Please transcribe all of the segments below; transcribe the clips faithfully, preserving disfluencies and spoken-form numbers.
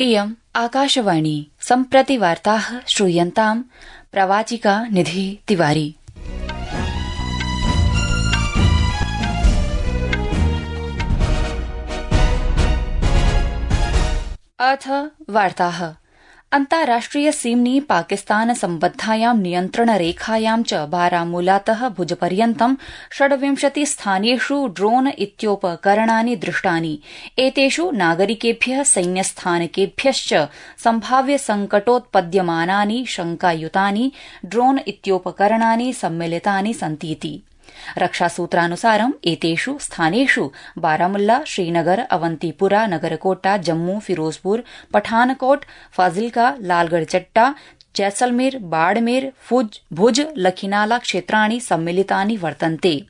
इयम् आकाशवाणी सम्प्रति वार्ताः श्रूयन्ताम् प्रवाचिका निधि तिवारी। अथ वार्ताः। अन्ताराष्ट्रिय सीम्नि पाकिस्तान सम्बद्धायां नियन्त्रणरेखायां च बारामूलातः भुजपर्यन्तं षड्विंशति स्थानेषु ड्रोन इत्योपकरणानि दृष्टानि। एतेषु नागरिकेभ्यः सैन्यस्थानकेभ्यश्च सम्भाव्य संकटोत्पद्यमानानि शंकायुतानि ड्रोन इत्योपकरणानि सम्मिलितानि सन्तीति। रक्षासूत्रानुसारम् एतेषु स्थानेषु बारामुल्ला, श्रीनगर, अवंतीपुरा, नगरकोटा, जम्मू, फिरोजपुर, पठानकोट, फाजिल्का, लालगढ़चट्टा, जैसलमेर, बाड़मेर, भुज, लखीनाला क्षेत्राणि सम्मिलितानि वर्तन्ते।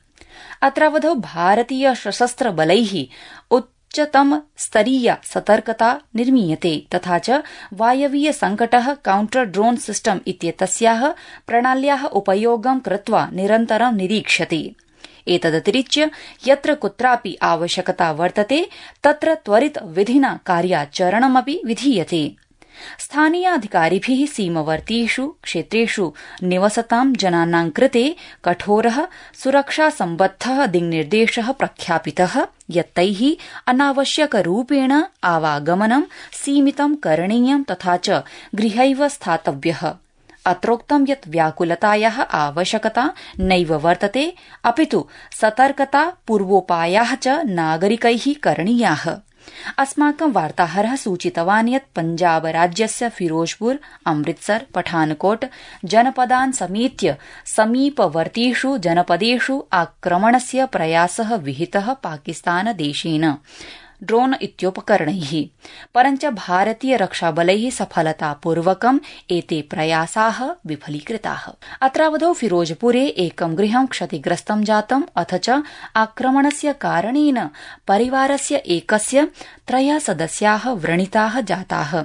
अत्रावधौ भारतीय सशस्त्र बलैः उच्चतम स्तरीया सतर्कता निर्मीयते तथा च वायवीय संकटः काउंटर ड्रोन सिस्टम इत्येतस्याः प्रणाल्याः उपयोगं कृत्वा निरन्तरं निरीक्ष्यते। एतदतिरिच्य यत्र कुत्रापि आवश्यकता वर्तते तत्र त्वरित विधिना कार्याचरणमपि विधीयते। स्थानीयाधिकारिभिः सीमवर्तीषु क्षेत्रेषु निवसतां जनानां कृते कठोरः सुरक्षासम्बद्धः दिङ्निर्देशः प्रख्यापितः यत् तैः अनावश्यकरूपेण आवागमनं सीमितं करणीयं तथा च गृहैव स्थातव्यः। अत्रोक्तं यत् व्याकुलतायाः आवश्यकता नैव वर्तते अपितु सतर्कता पूर्वोपायाः च नागरिकैः करणीयाः। अस्माकं वार्ताहरः सूचितवान् यत् पञ्जाब राज्यस्य फिरोजपुर, अमृतसर, पठानकोट जनपदान् समेत्य समीपवर्तीषु जनपदेषु आक्रमणस्य प्रयासः विहितः पाकिस्तानदेशेन ड्रोन इत्योपकरणैः, परञ्च भारतीय रक्षाबलैः सफलतापूर्वकम् एते प्रयासाः विफलीकृताः। अत्रावधौ फिरोजपुरे एकं गृहं क्षतिग्रस्तं जातम् अथ च आक्रमणस्य कारणेन परिवारस्य एकस्य त्रयः सदस्याः व्रणिताः जाताः।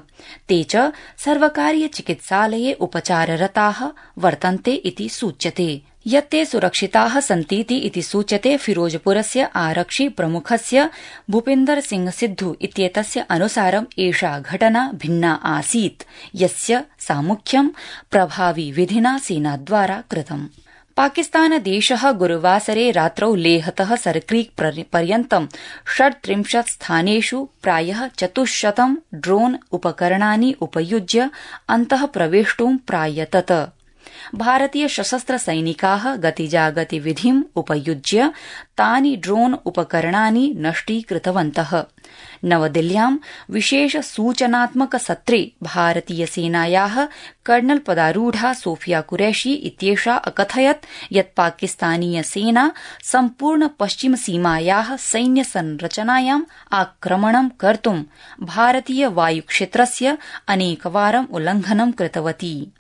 ते च सर्वकारीय चिकित्सालये उपचाररताः वर्तन्ते इति सूच्यते। यत्ते सुरक्षिताः सन्तीति इति सूच्यते। फिरोजपुरस्य आरक्षि प्रमुखस्य भूपिन्दर सिंह सिद्धू इत्येतस्य अनुसारम् एषा घटना भिन्ना आसीत् यस्य सामुख्यं प्रभावी विधिना सेनाद्वारा कृतम्। पाकिस्तानदेशः गुरुवासरे रात्रौ लेहतः सरक्रीक पर्यन्तं षड्त्रिंशत् स्थानेषु प्रायः चतुश्शतं ड्रोन उपकरणानि उपयुज्य अन्तः प्रवेष्टुं प्रायतत। भारतीय सशस्त्र सैनिकाः गतिजागतिविधिम् उपयुज्य तानि ड्रोन उपकरणानि नष्टीकृतवन्तः। नवदिल्ल्यां विशेष सूचनात्मक सत्रे भारतीय सेनायाः कर्नल पदारूढा सोफिया कुरैशी इत्येषा अकथयत् यत् पाकिस्तानीय सेना सम्पूर्ण पश्चिम सीमायाः सैन्य संरचनायाम् आक्रमणं कर्तुं भारतीय वायुक्षेत्रस्य अनेकवारं उल्लङ्घनं कृतवती।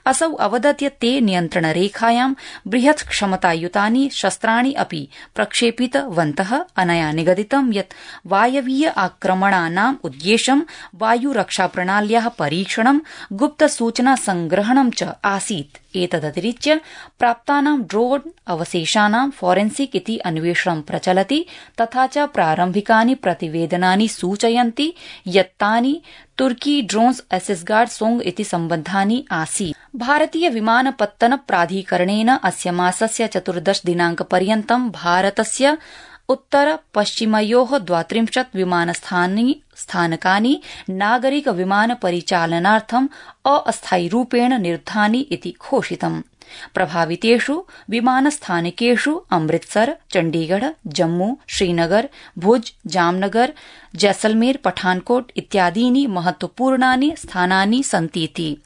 असौ अवदत् यत् ते नियन्त्रणरेखायां बृहत् क्षमतायुतानि शस्त्राणि अपि प्रक्षेपितवन्तः। अनया निगदितं यत् वायवीय आक्रमणानाम् उद्देश्यं वायुरक्षाप्रणाल्याः परीक्षणं, गुप्तसूचना संग्रहणं च आसीत्। एतदतिरिच्य प्राप्तानां ड्रोन अवशेषाणां फोरेन्सिक इति अन्वेषणं प्रचलति तथा च प्रारम्भिकानि प्रतिवेदनानि सूचयन्ति यत् तानि तुर्की ड्रोन्स एसेसगार्ड सोंग इति सम्बद्धानि आसीत्। भारतीय विमानपत्तन प्राधिकरणेन अस्य मासस्य चतुर्दश दिनांकपर्यन्तं भारतस्य उत्तर पश्चिमयोः द्वात्रिंशत् विमानस्थानकानि नागरिक विमान परिचालनार्थम् अस्थायिरूपेण निरुद्धानि इति घोषितम्। प्रभावितेषु विमानस्थानकेषु अमृतसर, चण्डीगढ़, जम्मू, श्रीनगर, भुज, जामनगर, जैसलमेर, पठानकोट इत्यादीनि महत्वपूर्णानि स्थानानि सन्तीति।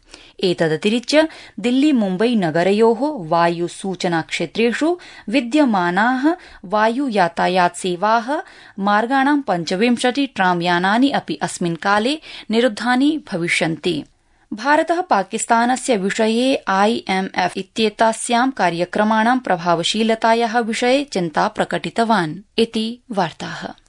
एतदतिरिच्य दिल्ली मुम्बई नगरयोः वायुसूचनाक्षेत्रेषु विद्यमानाः वायुयातायातसेवाः मार्गाणां पञ्चविंशति ट्रामयानानि अपि अस्मिन् काले निरुद्धानि भविष्यन्ति। भारतः पाकिस्तानस्य विषये आईएमएफ इत्येतस्यां कार्यक्रमाणां प्रभावशीलतायाः विषये चिन्ता प्रकटितवान् इति वार्ताः।